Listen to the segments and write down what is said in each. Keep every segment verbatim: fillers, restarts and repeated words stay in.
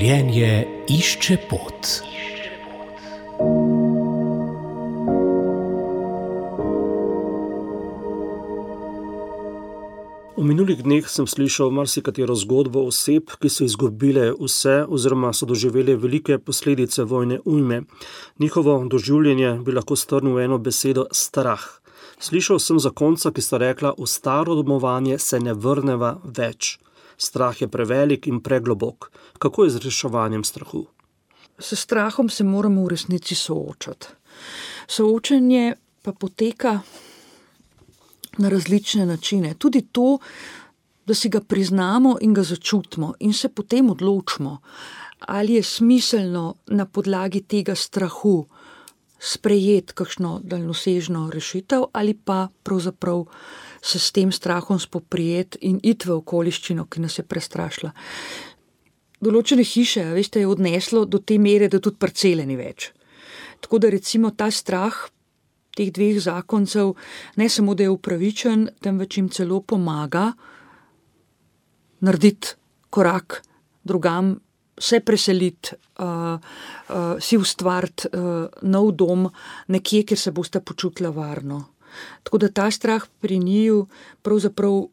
Življenje išče pot. V minulih dneh sem slišal marsikatero zgodbo oseb, ki so izgubile vse oziroma so doživele velike posledice vojne ujme. Njihovo doživljenje bi lahko strnil v eno besedo strah. Slišal sem zakonca, ki sta rekla, v staro domovanje se ne vrneva več. Strah je prevelik in preglobok. Kako je z reševanjem strahu? S strahom se moramo v resnici soočati. Soočenje pa poteka na različne načine. Tudi to, da si ga priznamo in ga začutimo in se potem odločimo, ali je smiselno na podlagi tega strahu sprejeti kakšno daljnosežno rešitev ali pa pravzaprav se s tem strahom spoprijeti in iti v okoliščino, ki nas je prestrašila. Določene hiše, veste, je odneslo do te mere, da tudi parcele ni več. Tako da recimo ta strah teh dveh zakoncev ne samo, da je upravičen, temveč jim celo pomaga narediti korak drugam, se preseliti, uh, uh, si ustvariti uh, nov dom nekje, kjer se boste počutila varno. Tako da ta strah pri njiju pravzaprav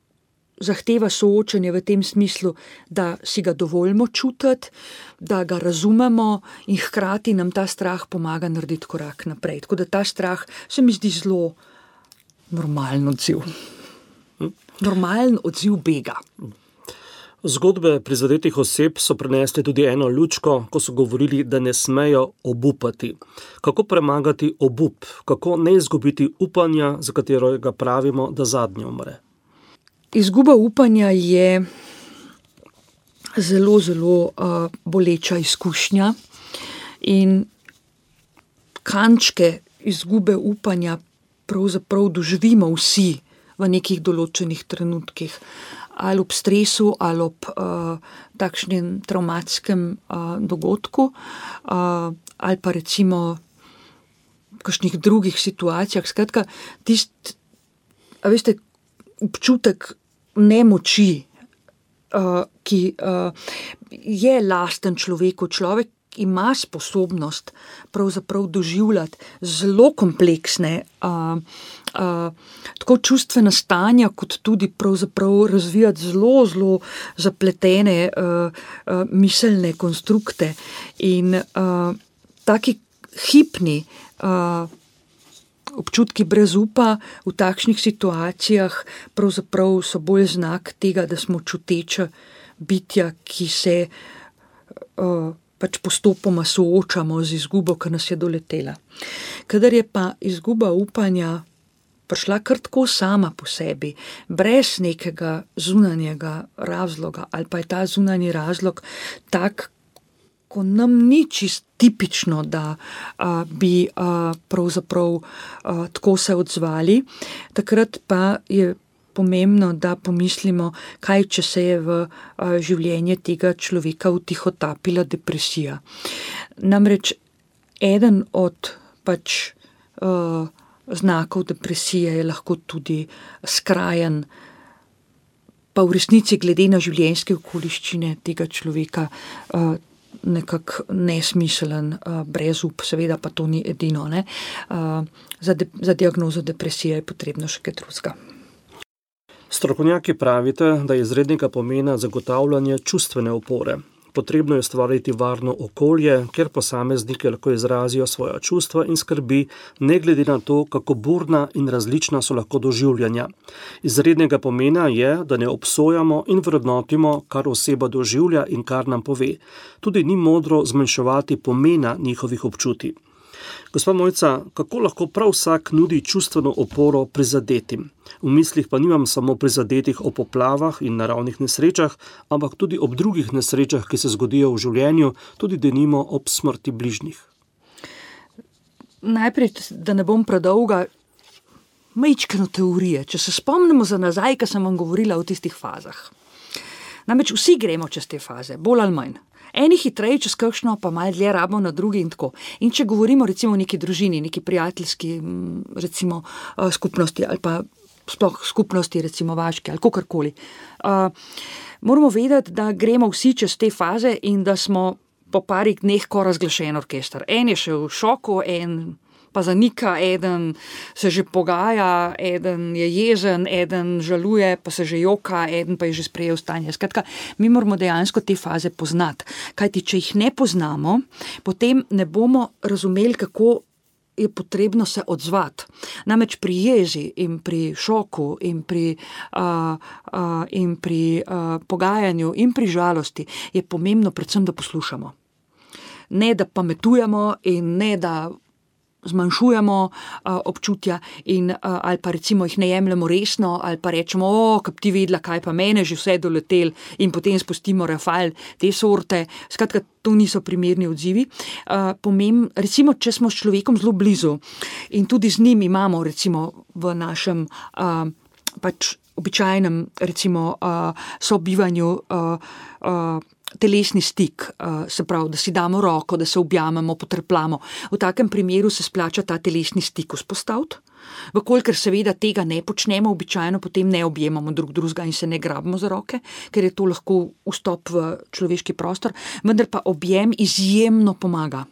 zahteva soočenje v tem smislu, da si ga dovolimo čutiti, da ga razumemo in hkrati nam ta strah pomaga narediti korak naprej. Tako da ta strah se mi zdi zelo normalen odziv. Normalen odziv bega. Zgodbe prizadetih oseb so prinesli tudi eno lučko, ko so govorili, da ne smejo obupati. Kako premagati obup? Kako ne izgubiti upanja, za katerega pravimo, da zadnje umre? Izguba upanja je zelo, zelo uh, boleča izkušnja in kančke izgube upanja pravzaprav doživimo vsi v nekih določenih trenutkih. Ali ob stresu, ali ob uh, takšnem travmatskem uh, dogodku, uh, ali pa recimo v kakšnih drugih situacijah. Skratka, tisti, a veste, občutek nemoči, uh, ki uh, je lasten človeku. Človek ima sposobnost pravzaprav doživljati zelo kompleksne uh, uh, tako čustvena stanja, kot tudi pravzaprav razvijati zelo, zelo zapletene uh, uh, miselne konstrukte. In uh, taki hipni uh, občutki brez upa v takšnih situacijah pravzaprav so bolj znak tega, da smo čuteča bitja, ki se uh, pač postopoma soočamo z izgubo, ki nas je doletela. Kadar je pa izguba upanja prišla kar tako sama po sebi, brez nekega zunanjega razloga, ali pa je ta zunanji razlog tak, ko nam ni čist tipično, da a, bi a, pravzaprav a, tako se odzvali, takrat pa je pomembno, da pomislimo, kaj če se je v a, življenje tega človeka vtihotapila depresija. Namreč eden od pač a, znakov depresije je lahko tudi skrajen, pa v resnici glede na življenjske okoliščine tega človeka a, nekako nesmiseln, a, brezup, seveda pa to ni edino. Ne? A, za, de, za diagnozo depresije je potrebno še kaj drugega. Strokovnjaki pravite, da je izrednega pomena zagotavljanje čustvene opore. Potrebno je ustvariti varno okolje, kjer posamezniki lahko izrazijo svoja čustva in skrbi, ne glede na to, kako burna in različna so lahko doživljanja. Izrednega pomena je, da ne obsojamo in vrednotimo, kar oseba doživlja in kar nam pove. Tudi ni modro zmanjševati pomena njihovih občutij. Gospa Mojca, kako lahko prav vsak nudi čustveno oporo prizadetim? V mislih pa nimam samo prizadetih o poplavah in naravnih nesrečah, ampak tudi ob drugih nesrečah, ki se zgodijo v življenju, tudi denimo ob smrti bližnjih. Najprej, da ne bom predolga, majčkeno teorije. Če se spomnimo za nazaj, ko sem vam govorila o tistih fazah. Namreč vsi gremo čez te faze, bolj ali manj. Eni hitreje čez kakšno, pa malo dlje rabimo na drugi in tako. In če govorimo recimo o neki družini, neki prijateljski recimo skupnosti ali pa sploh skupnosti recimo vaške ali kakorkoli, uh, moramo vedeti, da gremo vsi čez te faze in da smo po parih dneh ko razglašen orkester. En je še v šoku, en pa zanika, eden se že pogaja, eden je jezen, eden žaluje, pa se že joka, eden pa je že sprejel stanje. Skratka, mi moramo dejansko te faze poznati. Kajti, če jih ne poznamo, potem ne bomo razumeli, kako je potrebno se odzvati. Namreč pri jezi in pri šoku in pri, uh, uh, in pri uh, pogajanju in pri žalosti je pomembno predvsem, da poslušamo. Ne, da pametujemo in ne, da zmanjšujemo uh, občutja in, uh, ali pa recimo jih ne jemljemo resno, ali pa rečemo, o, kap ti vedela, kaj pa mene že vse doletel in potem spustimo rafal te sorte. Skratka, to niso primerni odzivi. Uh, pomem, recimo, če smo s človekom zelo blizu in tudi z njim imamo recimo v našem uh, pač običajnem recimo uh, sobivanju uh, uh, telesni stik, se pravi, da si damo roko, da se objamemo, potrpljamo. V takem primeru se splača ta telesni stik vzpostaviti. Vkolikor seveda tega ne počnemo, običajno potem ne objemamo drug drugega in se ne grabimo za roke, ker je to lahko vstop v človeški prostor, vendar pa objem izjemno pomaga.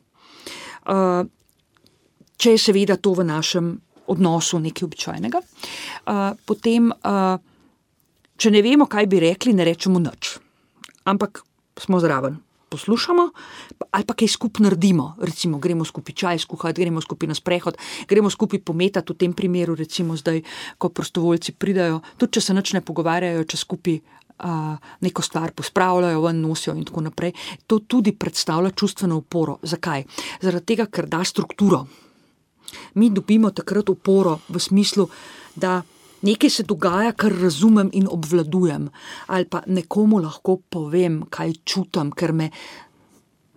Če je seveda to v našem odnosu nekaj običajnega, potem, če ne vemo, kaj bi rekli, ne rečemo nič. Ampak smo zraven, poslušamo ali pa kaj skupaj naredimo, recimo gremo skupaj čaj skuhati, gremo skupaj na sprehod, gremo skupaj pometati, v tem primeru recimo zdaj, ko prostovoljci pridajo, tudi če se nič ne pogovarjajo, če skupaj uh, neko stvar pospravljajo, ven nosijo in tako naprej, to tudi predstavlja čustveno oporo. Zakaj? Zaradi tega, ker da strukturo. Mi dobimo takrat oporo v smislu, da nekaj se dogaja, kar razumem in obvladujem, ali pa nekomu lahko povem, kaj čutim, ker me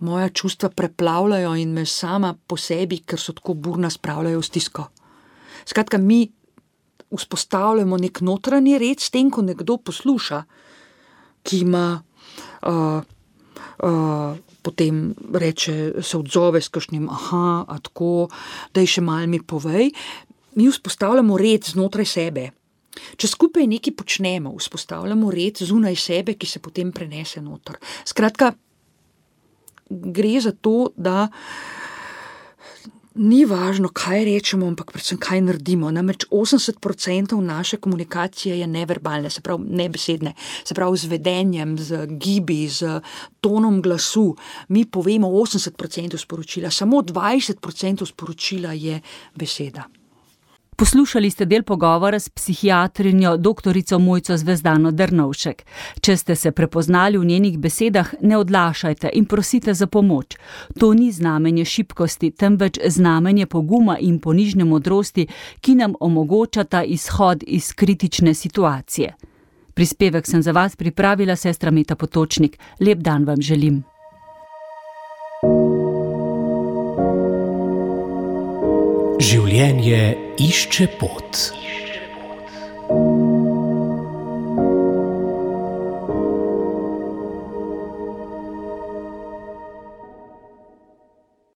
moja čustva preplavljajo in me sama po sebi, ker so tako burna, spravljajo v stisko. Skratka, mi vzpostavljamo nek notranji red s tem, ko nekdo posluša, ki ima uh, uh, potem reče, se odzove s kakšnim, aha, a tako, daj še malo mi povej. Mi vzpostavljamo red znotraj sebe. Če skupaj nekaj počnemo, vzpostavljamo red zunaj sebe, ki se potem prenese noter. Skratka, gre za to, da ni važno, kaj rečemo, ampak predvsem kaj naredimo. Namreč osemdeset procentov naše komunikacije je neverbalne, se pravi nebesedne, se pravi z vedenjem, z gibi, z tonom glasu. Mi povemo osemdeset procentov sporočila, samo dvajset procentov sporočila je beseda. Poslušali ste del pogovora s psihiatrinjo doktorico Mojco Zvezdano Drnovšek. Če ste se prepoznali v njenih besedah, ne odlašajte in prosite za pomoč. To ni znamenje šibkosti, temveč znamenje poguma in ponižne modrosti, ki nam omogočata izhod iz kritične situacije. Prispevek sem za vas pripravila sestra Meta Potočnik. Lep dan vam želim. Življenje išče pot.